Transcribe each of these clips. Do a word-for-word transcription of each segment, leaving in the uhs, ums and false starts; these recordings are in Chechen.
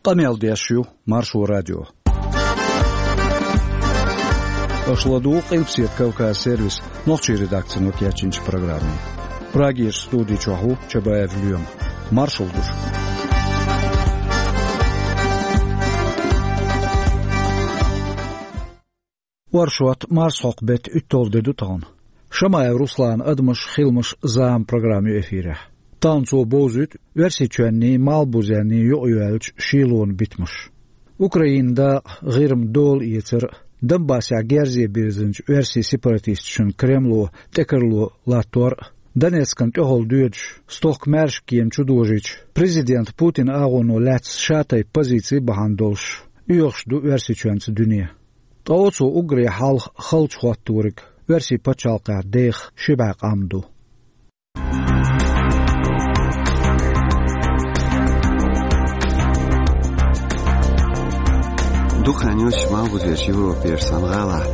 Къамел деш ю Маршо радио. Аша ладугӀу Къилбаседа Кавказ сервисан нохчийн редакцино кечйинчу программе. Прагерчу студи чохь ву Чабаев Лоьма. Маршалла ду шуьга. Оршот, марсхьокху беттан уьтталгӀа де ду тахана. Шамаев Русланан «Адамаш, хиламаш, зама» программа ю эфирехь. Тахана цо бовзуьйту Оьрсийчоьнний, Малхбузенний юкъайоьллачу шийлонан битамаш. Украинан дакъа, ГӀирма дола эцар а, Донбассехь герзе бирзинчу оьрсийн сепаратисташна Кремло тӀекарло латтор а, Донецкана тӀехула доьдуш, стохка маьрша кема чу дожийча, президент Путинан агӀоно лаьцна шатайпа позици бахьана долуш, оьхуш ду Оьрсийчоьнца дуьне. Ткъа оцо уггаре хьалха халчу хӀотториг Оьрсийн пачхьалкхехь деха ши бӀе къам ду. Дукха хан йоццуш Малхбузерчу Европерчу цхьана гӀалахь,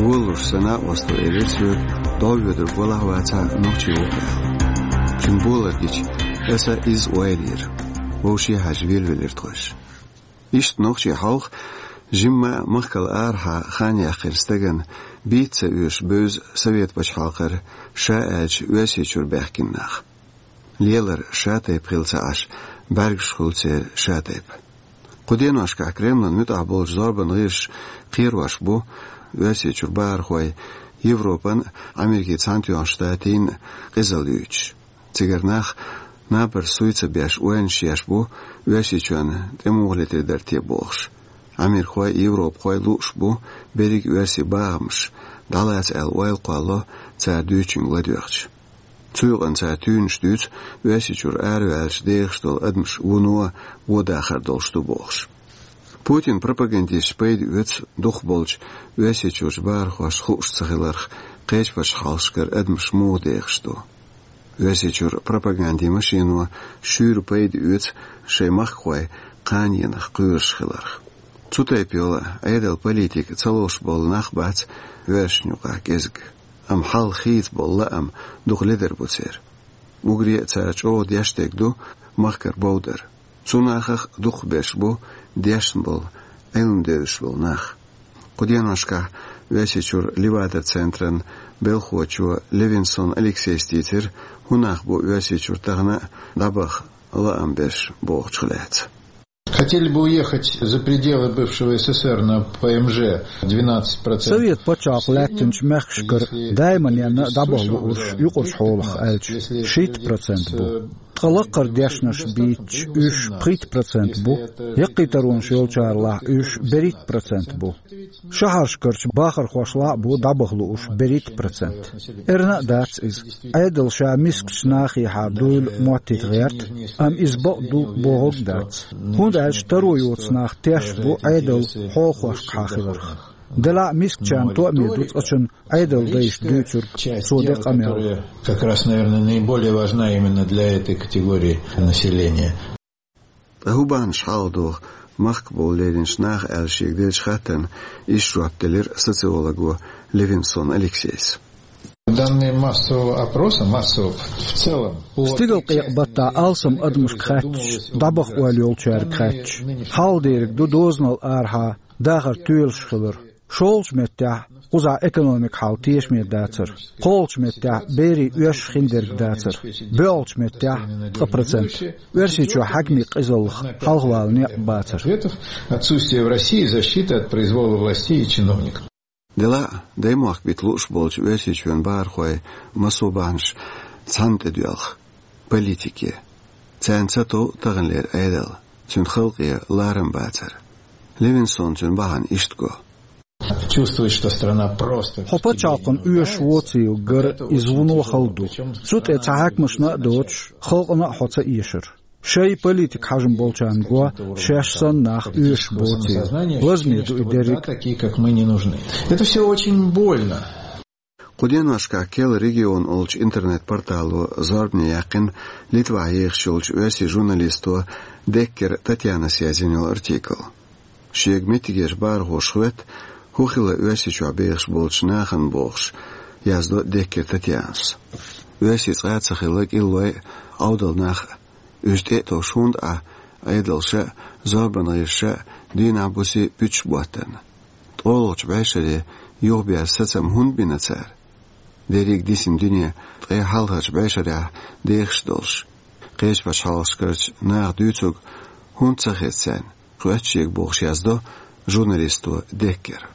волалуш сан накъосто элира соьга, дӀовоьдург валахь а вацахь а, нохчи ву-кх аьлла. Цуьнан болар гича, аса изза ойла йира. Вовшаххьаьжча, велавелира тхойша. Иштта нохчий хьалха жимма а махкал арахьа хан яьккхина стагана бийца ца оьшу бевза Совет пачхьалкхара, ша аьлча, Оьрсийчуьра баьхкина нах. Лелар шатайпа хилла ца Ӏаш, бӀаьргаш хуьлу церан шатайпа. Кху деношкахь Кремлан муьтӀахь болчу зорбанан гӀирсаша кхерош бу Оьрсийчуьра бахархой Европан а, Америкин Цхьаьнатоьхначу Штатийн а къизалла юьйцуш. Цигара нах, набарш суй ца беш, ойланаш еш бу, Оьрсийчоьнна тӀе муха летар дара те бохуш. Америкахой а, европахой а лууш бу берриг а оьрсийн бахамаш, дӀалаца аьлла ойла кхоллало цара дуьйцучуьнга ладоьгӀча. Цу юкъана цара туьйранаш дуьйцу Оьрсийчуьра араваьллачу дехаш долу адамаш вуно вон дахар долуш ду бохуш. Путинан пропагандисташа пайда оьцу дукхахболчу Оьрсийчуьрчу бахархошна хууш ца хиларх, кхечу пачхьалкхашкара адамаш муха дехаш ду. Оьрсийчуьра пропагандин машино шуьйра пайда оьцу шайн махкахой кханенах кхоьруш хиларх. Цу тайпа йолу Ӏедалан политика ца ловш болу нах бац оьрсашна юкъахь кӀезиг, амма хьал хийца болу лаам дукха ледар бу церан. Уггаре а цара чӀогӀа деш дерг ду махкара бовдар. Цу нахах дукхахберш бу дешна болу, Ӏилма девзаш болу нах. Кху деношкахь Оьрсийчуьра Левада-центран белхахочо Левинсон Алексейс дийцира, хӀун нах бу Оьрсийчуьра тахана а дӀабаха лаам берш бохучух лаьцна. Хотели бы уехать за пределы бывшего С С С Р на П М Ж двенадцать процентов. Совет пачхьалкх лаьттинчу мехкашкара даиманенна а дӀабаха луурш юкъарчу хьолах аьлча, шийтта процент бу. Ткъа лаккхара дешнаш бийцича, уьш пхийтта процент бу, яккхий таронаш йолчарлахь уьш берхӀитта процент бу. Шахьаршкарчу бахархошлахь а бу дӀабаха луурш берхӀитта процент. Эрна а дац иза. Ӏедал ша мискачу нахехьа дуйла моттийта гӀерта, амма иза бакъ ду бохург а дац. ХӀунда аьлча таро йоцу нах теш бу Ӏедал хьолахошкахьа хиларх. Делахь а мискачарна тоъаме ду цкъачунна Ӏедал дайша дуьйцург, цо де къамел. Как раз, наверное, наиболее важна именно для этой категории населения. Ткъа хӀун бахьанаш хьалха догӀу махкахь болу леринчу наха аьлла шега деллачу хаттарна иштта жоп делира социолого Левинсон Алексейс. Данные массового опроса, массового в целом, по Стигалкъекъа баттахь алсам адамашка хаьттича, дӀабаха ойла йолчаьрга хаьттича, хьалха дерг ду дозанал арахьа дахар тоьлуш хилар. ШолгӀачу меттехь кхузахь экономикан хьал тешаме дацар. КхоалгӀачу меттехь берийн оьшуш хиндерг дацар. БоьалгӀачу меттехь ткъа процент. Оьрсийчохь хьаькамийн къизаллах хьалхавала некъ бацар. Ответов: отсутствие в России защиты от произвола властей и чиновников. Делахь а, даймохк бита лууш болчу Оьрсийчоьнан бахархойн массо а бахьанаш цхьанна тӀедоьлху: политике. Царна ца тов таханлера Ӏедал, цуьнан халкъе ларам бацар. Левинсона цуьнан бахьана иштта го. Чувствовать, что страна просто... Хьо пачхьалкхана оьшуш воцийла гар, иза вуно хала ду. Цу тӀе цхьа хьаькамашна а доцуш, халкъана а хьо ца эшар. Шайн политикан хьежам болчарна го, шаьш санна нах оьшуш боцийла. Лазаме ду и дерриг а. Такие, как мы, не нужны. Это всё очень больно. Кху деношкахь Кел регион олучу интернет-портало зорбане яьккхина Литвахь ехаш йолчу оьрсийн журналисто Деккер Татьянас язйина йолу артикл. Шега меттигерчу бахархоша хӀоьтту, хӀун хилла Оьрсийчохь бехаш болчу нахана бохуш, яздо Деккер Татьянас. Оьрсий цкъа а ца хилла кӀиллой а, Ӏовдал нах а, уьш тӀе а товш хӀунда Ӏа Ӏедалша а, зорбан гӀирсаша а дийнахь-буса пуьташ боттарна. ТкъолгӀачу бӀешере юхаберза сацам хӀунда бина цара? Дерриг дисина дуьне ткъе хьалхарчу бӀешарехь дехаш долуш, кхечу пачхьалкхашкарчу наха дуьйцург хӀунда ца хеза царна, хоьттуш ерг бохуш яздо журналисто Деккера.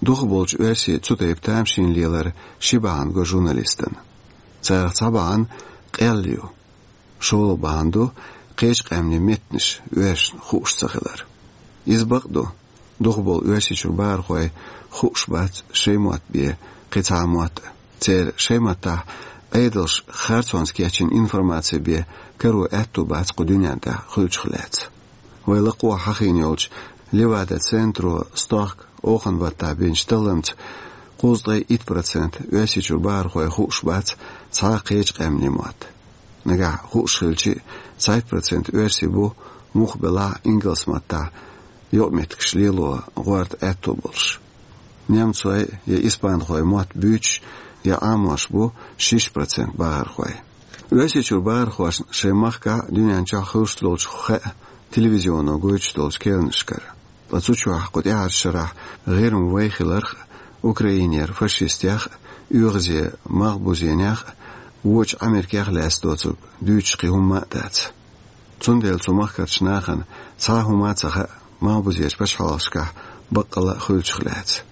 Дукхахболчу оьрсийн цу тайпа тамашийна лелар ши бахьана го журналистана. Царах цхьа бахьана къелла ю. ШолгӀа бахьана ду кхечу къаьмнийн меттанаш оьрсашна хууш ца хилар. Иза бакъ ду, дукхахболу Оьрсийчуьра бахархой хууш бац шайн мотт бен кхин цхьа а мотт а. Церан шайн маттахь Ӏедалша харцонца кечйина информаци бен каро аьтту бац кху дуьнен тӀехь хуьлучух лаьцна. Вай лакхахь хьахийна йолчу Левада-центро стохка оханан баттахь бинчу талламца кхузткъе итт процент Оьрсийчуьра бахархой хууш бац цхьа а кхечу къаьмнийн мотт. Нагахь хууш хилча а, цхьайтта процент оьрсий бу муха белахь а ингалс маттахь юкъаметтигаш лело гӀорта аьтту болуш. Немцойн я испанхойн мотт буьйцуш я Ӏамош бу шишша процент бахархой. Оьрсийчуьра бахархошна шайн махкахь а, дуьнен чохь а хуьлуш долчух хаьа телевизионо гойтуш долчу керланашкара. Ткъа цу чохь кху тӀаьхьарчу шарахь ГӀирма вай хиларх а, Украинера фашистех а, оьгӀазе малхбузенех а, вочу Америкех а лаьцна доцург дуьйцуш кхин хӀумма а дац. Цундела цу махкарчу нахана цхьа а хӀума а ца хаьа малхбузечу пачхьалкхашкахь баккъалла а хуьлучух лаьцна.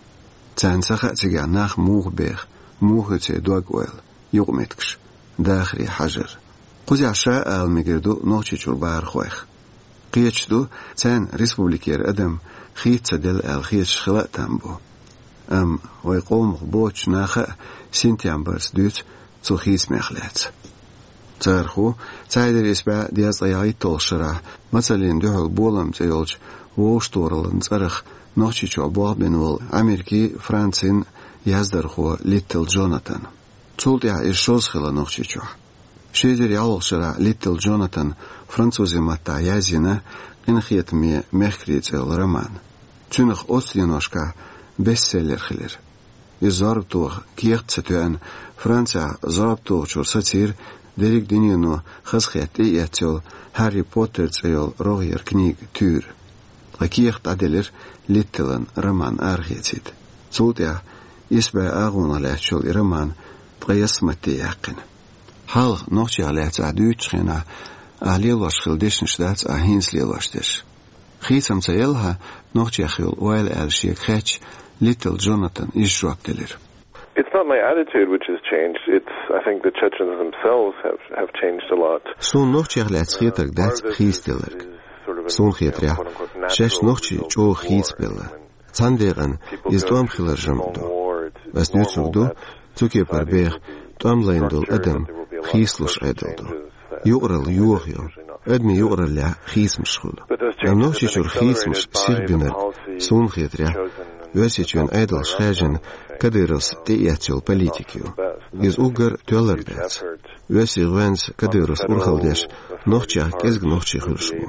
Царна ца хаьа цигахь нах муха беха, муха ю церан дог-ойла, юкъаметтигаш, дахаре хьажар. Кхузахь ша а ала мегар ду Нохчийчуьра бахархойх. Кхеташ ду, царна республикера адам хийца ца делла аьлла хеташ хила а там бу. Амма вай къомах боцучу наха а синтем барца дуьйцу цу хийцамех лаьцна. Царах ву цхьа эзар исс бӀе дезткъе ялхитталгӀачу шарахь Мацаллина дуьхьал болам цӀе йолчу вовшахтохараллин цӀарах Нохчийчохь болх бина волу Америкин, Францин яздархо Литтл Джонатан. Цул тӀаьхьа иза шозза хилла Нохчийчохь. Ши эзар ялхалгӀачу шарахь Литтл Джонатана французийн маттахь язйина «Къинхетаме мехкарий» цӀе йолу роман. Цуьнах оццу деношкахь бестселлер хилира. Иза зорба тоха кехат ца тоьъна, Францехь зорба тохачуьра сацийра дерриг а дуьнено хазахетта тӀеэцна йолу «Хьарри Поттер» цӀе йолу рогӀера книга туьйра. Ткъа кехат дӀаделира Литтелан роман арахецийта. Цул тӀаьхьа исс бӀе агӀонах лаьтташ йолу и роман ткъе ялх матте яьккхина. Хьалха нохчех лаьцна ахь дуьйцучу хенахь ахь лелош хилла дешнаш дац ахь хӀинца лелош дерш. Хийцам ца елла хьан нохчех йолу ойла аьлла шега хаьттича, Литтл Джонатана иза жоп делира. It's not my attitude which has changed. It's, I think, the Chechens themselves have, have changed a lot. Суна нохчех лаьцна хетарг дац хийцаделларг. Суна хетарехь, шаьш нохчий чӀогӀа хийцабелла. Цхьана декъана иза тӀом хиларан жамӀ ду. Ас дуьйцург ду, цу кепара беха тӀом лайна долу адам хийцалуш Ӏедал ду. Юкъаралла йохайо, адамийн юкъараллехь хийцамаш хуьлу. Амма Нохчийчуьра хийцамаш сихбинарг, суна хетарехь, Оьрсийчоьнан Ӏедалша хаьржина Кадыровс тӀеэцна йолу политика ю. Иза уггар тоьлларг дац. Оьрсийн гӀоьнца Кадыровс урхалла деш, нохчех кӀезиг нохчий хуьлуш бу.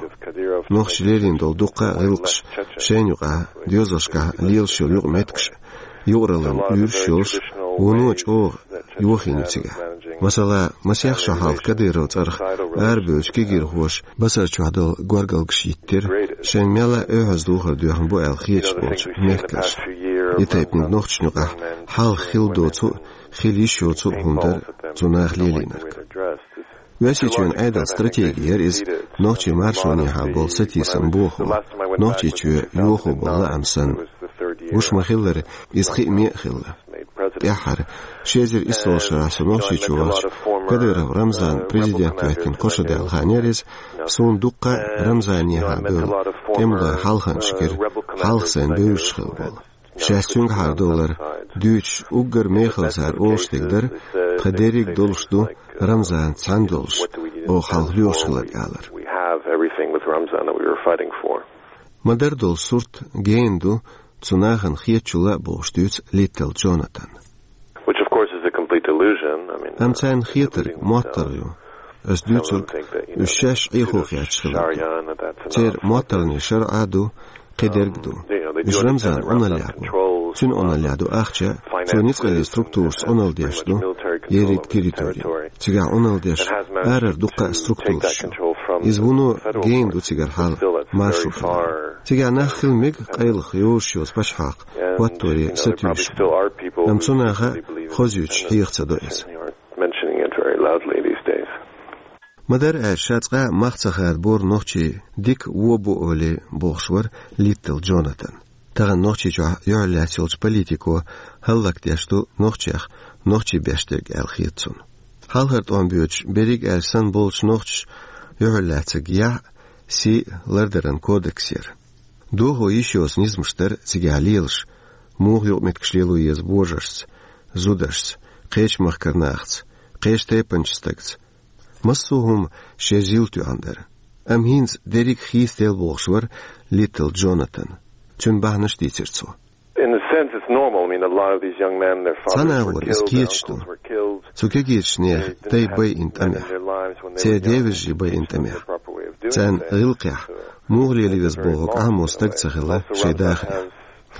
Нохчаша лелийна долу дуккха а гӀиллакхаш, шайна юкъахь доьзалшкахь лелаш йолу юкъаметтигаш, юкъараллин уьйраш йолуш, вуно чӀогӀа йохийна ю цигахь. Масала, масех шо хьалха Кадыровн цӀарах арабевллачу кегийрхоша басар чохь долу горгалгаш йиттира, шайна мелла а оьхьаза духар доьхна бу аьлла хеташ болчу мехкаршна. И тайпаниг нохчашна юкъахь хьалха хилла доцу а, хила йиш йоцу а хӀума дара цу наха лелийнарг. Оьрсийчоьнан Ӏедалан стратеги яра иза нохчийн маршонехьа болу сатийсам бохо, Нохчийчоь йохо болу лаам санна. Гуш ма-хиллара, иза кхиаме а хилла. ТӀаьххьара, ши эзар исс шарахь со Нохчийчу вахча, Кадыров Рамзан президент хӀоьттина кхо шо даьлла хан яра иза, суна дуккха а Рамзанехьа бевлла тӀемалойн хьалханчаш гира, хьалха сайна бевзаш хилла болу. Шаьш цуьнгахьара долар дуьйцуш, уггар мехала цара олуш дерг дара, тхан дерриг а долуш ду Рамзанца цхьаьна долуш, оха хьалха лоьхуш хиларг алар. We have everything with Ramzan that we were fighting for. Ма-дарра долу сурт гена ду цу нахана хетачул а бохуш дуьйцу Литтл Джонатана. Which, of course, is a complete illusion. I mean, Амма царна хетарг моттаргӀа ю. Ас дуьйцург, уьш шаьш Ӏехо хетташ хиларг ду. Церан моттаргӀанийн шарӀа а ду, кхидерг а ду. Уьш Рамзан Ӏуналлехь бу. Цуьнан Ӏуналлехь ду ахча, цо ницкъаллин структурашца Ӏуналла деш ду ерриг территори. Цигахь Ӏуналла деш арара дуккха а структураш ю. Иза вуно гена ду цигара хьал маршо хилар. Цигахь нах хила мега къайлаха йозуш йоцу пачхьалкх хӀотторе сатуьйсуш. Амма цу наха хозуьйтуш хьеха ца до иза. Ма-дарра аьлча, ша цкъа а мах ца хадабора нохчий дика вон бу олий бохуш вара Литтл Джонатан. Тахана Нохчийчохь юьхьарлаьцна йолчу политико хӀаллакдеш ду нохчех нохчий беш дерг аьлла хета цунна. Хьалхара тӀом боьдуш, берриг аьлча санна болчу нохчаша юьхьарлаьцнарг яхь а, сий а лардаран кодекс яра. Дохо йиш йоцу низамаш дара цигахь лелаш, муха юкъаметтигаш лело еза божаршца, зударшца, кхечу махкара нахаца, кхечу тайпанчу стагца. Массо а хӀума шен жил тоьхна дара. Амма хӀинца дерриг хийцаделла бохуш вара Литтл Джонатан. Цуьнан бахьанаш дийцира цо. In a sense, it's normal. I mean, a lot of these young men, their Цхьана fathers were агӀор иза killed, their кхеташ ду. Uncles were killed. Цу кегийчу нехан дай байина тӀамехь. Церан девежарий байина тӀамехь. Царна гӀиллакхехь, муха лела веза бохург Ӏамо стаг ца хилла шайн дахарехь.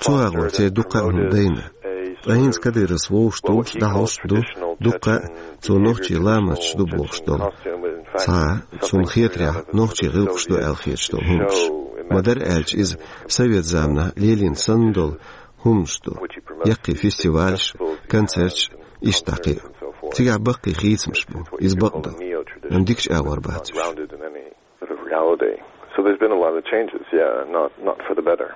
Цу агӀор церан дуккха а хӀума дайна. Ткъа хӀинца Кадыровс вовшах долуш, дӀахьош ду, дуккха а цо нохчийн ламасташ ду бохуш долу. Цхьа а, цунна хетарехь, нохчийн гӀиллакхаш ду аьлла хеташ долу хӀуманаш. Ма-дарра аьлча, иза совет заманахь лелийна санна долу хӀуманаш ду. Яккхий фестивалаш, концерташ, иштта кхин а. Цигахь баккхий хийцамаш бу, иза бакъ ду. Амма дикачу агӀор бац уьш. Sort of reality. So there's been a lot of changes, yeah, not, not for the better.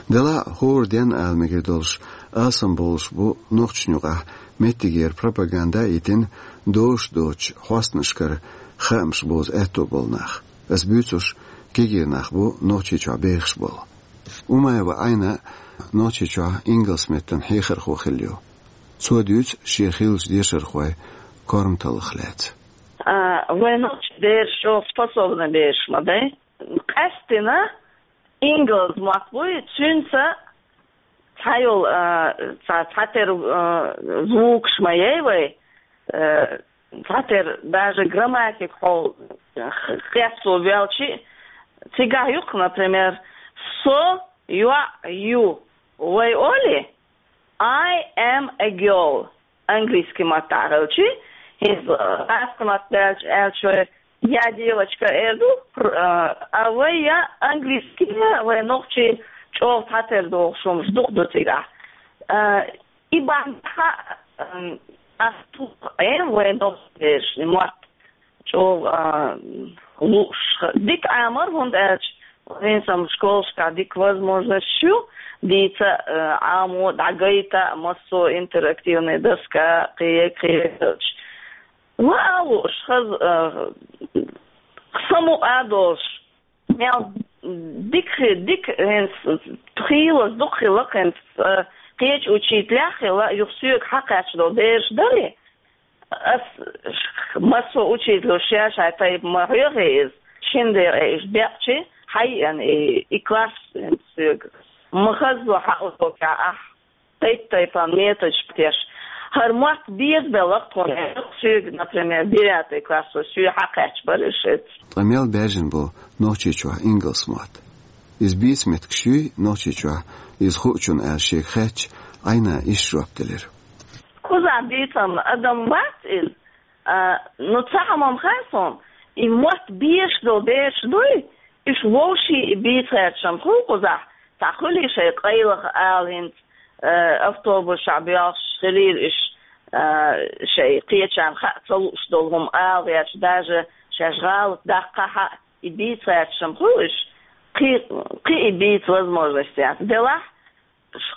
Делахь а хӀора денна ала мегар долуш, алсамбовлуш бу нохчашна юкъахь меттигера пропаганда а йитина, дозуш доцучу хьостанашкара хаамаш бовза аьтто болу нах. Ас буьйцурш кегий нах бу Нохчийчохь бехаш болу. Умаева Айна Нохчийчохь ингалс меттан хьехархо хилла ю. Цо дуьйцу шен хиллачу дешархойн корматаллах лаьцна. А, вайн нохчийн бераш чӀогӀа способный бераш ма дай. Къаьсттина ингалс мотт буй, цуьнца цхьа йолу, а, цхьа, цхьатера, а, звукаш ма яй вай, а, цхьатера даже грамматика хьо-, кхетто ваьлча, цигахь юкъа, например, со йоӀ ю. Вай олий, I am a girl. Английский маттахь хилча, хӀинца, э, гӀазкхийн маттахь аьлча, аьлча вай я девочка эр ду, пр-, э, а вай я английский, я вай нохчийн чӀогӀа цхьатера дохуш хӀумаш дукха ду цигахь. Э, и бахьана, э, ас туху, э, вай нохчийн бераш, и мотт чӀогӀа, а, лууш. Дика Ӏамор, хӀунда аьлча, вайн сан школашкахь дика возможносташ ю, дийца, а, Ӏамо, дӀагайта, массо интерактивная доска, кхе, кхе, кхе. Ва а лууш, хаза, а, самукъа а долуш. Мел дика хи-, дика хӀинца хийлаза дукха хилла хӀинца, а, кхечу учителех хилла, юха соьга хьакхаьчна долу бераш дарий? Ас массо а учителю шаьш хьайн тайпа ма хьоьху иза, шина декъе иштта бекъчи, хьайиъна и, и класс соьга. Ма хазло хьан урокехь ахь тайп-тайпана методаш теш. ХӀара мотт безабелла тхуна, соьга, например, девятый класс, соьга хьакхаьчна бара шеца. Ткъа мел баьржина бу Нохчийчохь ингалс мотт? Иза бийца меттигаш юй Нохчийчохь, иза хуучунна аьлла шега хаьттича, Айна иштта жоп делира. Кхузахь бийцам адам вац иза. А, ну, цхьа хӀума-м хаьа суна, и мотт безаш долу бераш дуй, уьш вовшийн и бийца гӀерташ-м хуьлу кхузахь, цхьа хуьлий шайн къайлаха ала хӀинца, а, автобусехь боьлхуш хилийла уьш, а, шайн кхечарна хаа ца лууш долу хӀума ала гӀерташ, даже шаьш гӀалат даккха хаа, и бийца гӀерташ-м хуьлу уьш, кхин, кхин и бийца возможность яц. Делахь,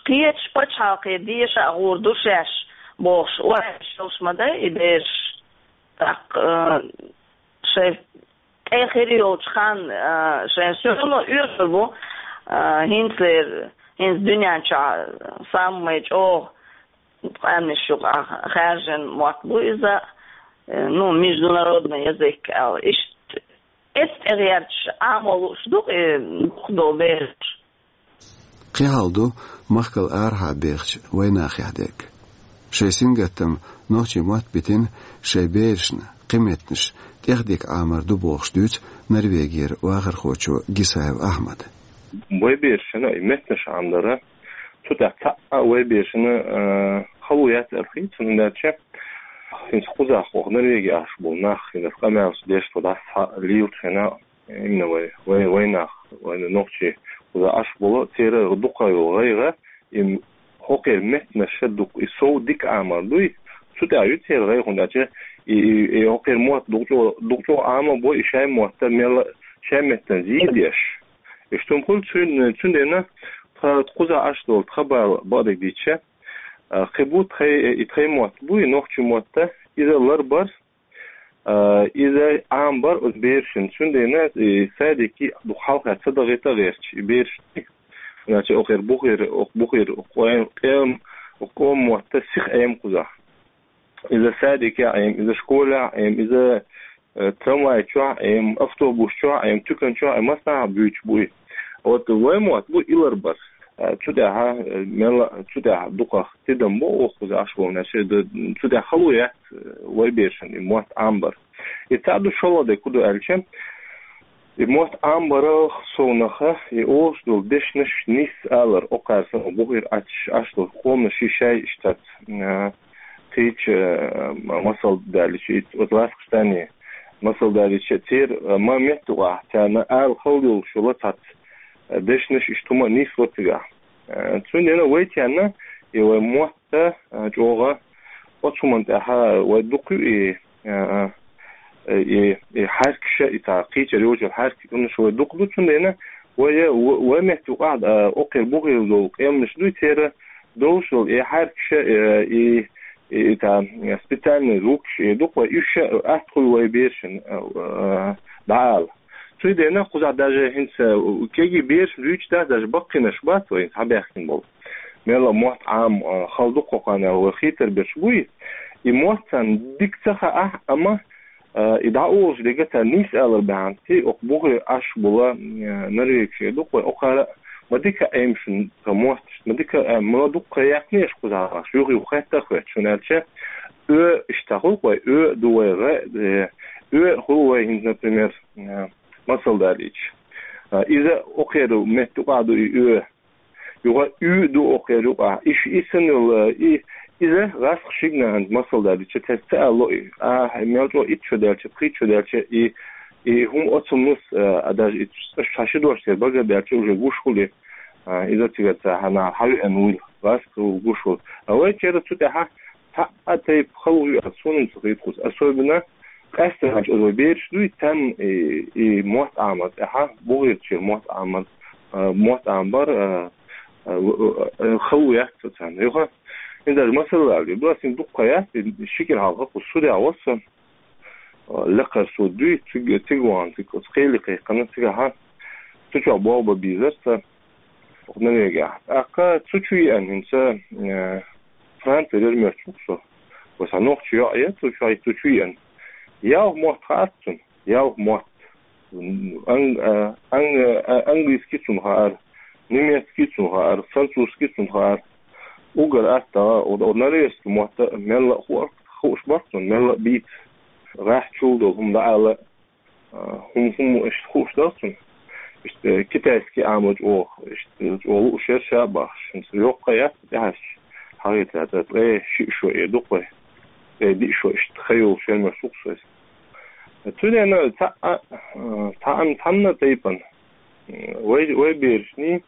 кхечу пачхьалкхе деша а гӀур ду шаьш, бохуш, ой, шаьш ма дай и бераш. ТӀаккха, а, шайн тӀе хир йолчу хан, а, шайн всё равно оьшур бу, а, хӀинцалера, хӀинца дуьнен чохь самый чӀогӀа къаьмнаш юкъахь хаьржина мотт бу иза, э, ну, международный язык аьлла. Иштта эццӀе гӀерташ Ӏамо лууш ду-кх и дукха долу бераш. Кхин хьал ду махкал арахьа бехачу вайнахехь дерг. Шайн сингаттам нохчийн мотт битина шайн берашна кхин меттанаш тӀехдика Ӏамор ду бохуш дуьйцу Норвегера вахархочо Гисаев Ахьмада. Вай берашна и меттанаш Ӏамор дара, цу тӀехь цхьа а вай берашна, а, хало яц аьлла хета суна, хӀунда аьлча ХӀинца кхузахь оха Норвеге Ӏаш болу нах, хӀинца къамелаш деш тхо дӀасахьа лелачу хенахь, именно вай, вай, вай нах, вай нохчий кхузахь Ӏаш болу, церан дукха йолу гӀайгӀа, и хӀокхеран меттанаш дукха, и сов дика Ӏамор дуй, цу тӀехь ю церан гӀайгӀа, хӀунда аьлча и, и, и хӀокхеран мотт дукха чӀо-, дукха чӀогӀа Ӏамор бу, и шайн мотт мелла шайн меттана зийдеш. И шуна хуьлу цуьнан, цундела тхан кхузахь Ӏаш долу тхан бала бакъдерг дийцча, а, кхин бу тхайн, и тхайн мотт бу, и нохчийн мотт, иза ларбар, а, иза Ӏамбар оцу берашна. Цундела и садике дукха хьалха ца дахийта гӀерташ, и бераш, значит, окхир бухир, ох бухир, къоем, къем, ох къом мотт сиха Ӏема кхузахь. Иза садикехь Ӏема, иза школехь Ӏема, иза, э, трамвай чохь Ӏема, автобус чохь Ӏема, туькан чохь Ӏема, массанхьа буьйцуш бу и. Вот вай мотт бу и ларбар. Э, цу тӀехь, э, мелла, цу тӀехь дукха тидам бу оха кхузахь Ӏаш болу нах, э, д-, цу тӀехь хало яц, э, вай берашна и мотт Ӏамбар. И цхьаъ ду, шолгӀа дерг хӀун ду аьлча, и мотт Ӏамбарал совнаха, и олуш долу дешнаш нийса алар, окхара санна бухир Ӏаш, Ӏаш долу къоманаш шаьш иштта, э, кхечу, э, масал далийча, и оцу ласкхаштане масал далийча, церан, э, ма меттан юкъахь царна ала хала йолуш йолу цхьацца, э, дешнаш иштта хӀума нийса ву цигахь. Э, цундела вай царна и вай мотт, э, чӀогӀа оцу хӀуманна тӀехь вай дукха ю и, э, э, и, и хьаьркаш, и цхьа кхечара йоцу хьаьркаш, уьш вай дукха ду, цундела вай, в-, вай меттан юкъахь, э, окхир бухир долу къеманаш дуй, церан долуш долу и хьаьркаш, э, и, и, и цхьа специальный звукаш, и дукха вай уьш атта хуьлу вай берашна, э, э, дӀаала. Цундела кхузахь даже хӀинца, э, кегий бераш буьйцуш дац, даже баккхийнаш бац вай хӀинца хьабаьхкина болу. Мелла мотт Ӏама, э, хала ду кху кхаьннера вай хийтар берш буй. И мотт царна дика ца хаахь, амма, э, и дӀаолуш дерг царна нийса алар бахьана, ци окху бухе Ӏаш болу, э, норвегаш дукха вай, окхара ма дика Ӏема шуна тхан мотт, ма дика, э, ма дукха яьккхинера кхузахь, юха-юха хетта а хетта, шуна аьлча, оь иштта хуьлу вай, оь ду вай, гӀа, э, оь хуьлу вай хӀинца, например, э, масал далийча. А, иза окхеран меттан юкъахь ду и оь. Юха уь ду окхеран юкъахь. И ш-, и санна йолу, и, иза гӀаскхий шигна хӀинца масал далийча, цаьрца ца ало и. А, мел чӀогӀа итт шо даьлча, пхийтта шо даьлча, и, и хӀума оцу нус, а, а, даже и ш-, ши дош церан бага а даьлча, уже гуш хуьлу и. А, иза цигара ца хьана хьавеана вуйла. ГӀаскхий ву гуш хуьлу. А вай церан цу тӀехь цхьа а тайпа хала ву аьлла, суна ца хета кхуза. Особенно къаьсттина хьаьрча, оцу вай бераш дуй, царна и, и мотт Ӏамар тӀехь, бухирчера мотт Ӏамар, а, мотт Ӏамбар, а, а, а, хала ву яц царна. Юха, хӀинца даже масал далийча, ду ас хӀинца дукха яц, и ши кӀира хьалха кху судехь вара со, а, лекхара суд дуй, цига, цига вахана, цига оцу кхеле кхайкхина, цигахь, цу чохь болх бан безара сан. Норвегехь. ТӀаккха цу чу еана хӀинца, э, Францера яра моьттуш ву со. Вай цхьа нохчи йоӀ яра цу чу, цу чу еана. Ялх мотт хаьа цунна, ялх мотт. Ан-, э, ан-, э, английский цунна хаьара, немецкий цунна хаьара, французский цунна хаьара. Уггар атта, о, о, норвежский мотт мелла а ху-, хууш бара цунна, мелла а бийца. ГӀаьххьа чул долу хӀума дӀаала, а, хӀума, хӀума иштта хууш дара цунна. Иштта, э, китайский Ӏамочу оха, иштта, чӀогӀа лууш яра ша бахаш. ХӀинца йоккха яц тӀехьаьжча, хьагӀийтта, ткъе шиъ шо эр ду-кх вай. Ткъе диъ шо иштта ха йолуш яра моьттуш ву-кх со иза. Цундела цхьа а, а, цхьа а, цхьанна а тайпана, м, вай, вай берашний,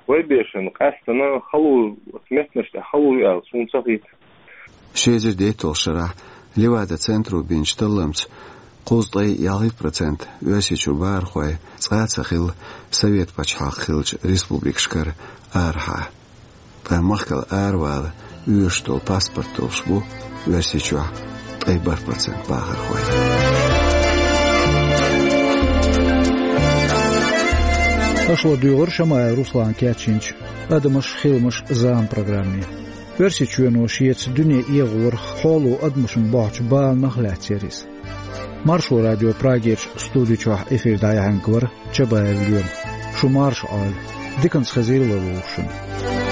вай берашна къаьсттина хало, оцу меттанаш тӀехь хало ю аьлла, суна ца хета. Ши эзар дейтталгӀачу шарахь Левада-центро бинчу талламца кхузткъе ялхитта процент Оьрсийчуьра бахархой цкъа а ца хилла Совет пачхьалкх хиллачу республикашкара арахьа. Ткъа махкал аравала оьшуш долу паспорт долуш бу Оьрсийчохь ткъе бархӀ процент бахархой. Аша ладуьйгӀира Шамаев Руслана кечйинчу «Адамаш, хиламаш, зама» программе. Оьрсийчоьно шеца дуьне эгӀорах хьоло адамашна бохьучу баланах лаьцна яра иза. Маршо радион Прагерчу студи чохь эфир дӀаяьхьнарг вара Чабаев Лема. Шу марша Ӏойла. Диканца хезийла вай вовшашна.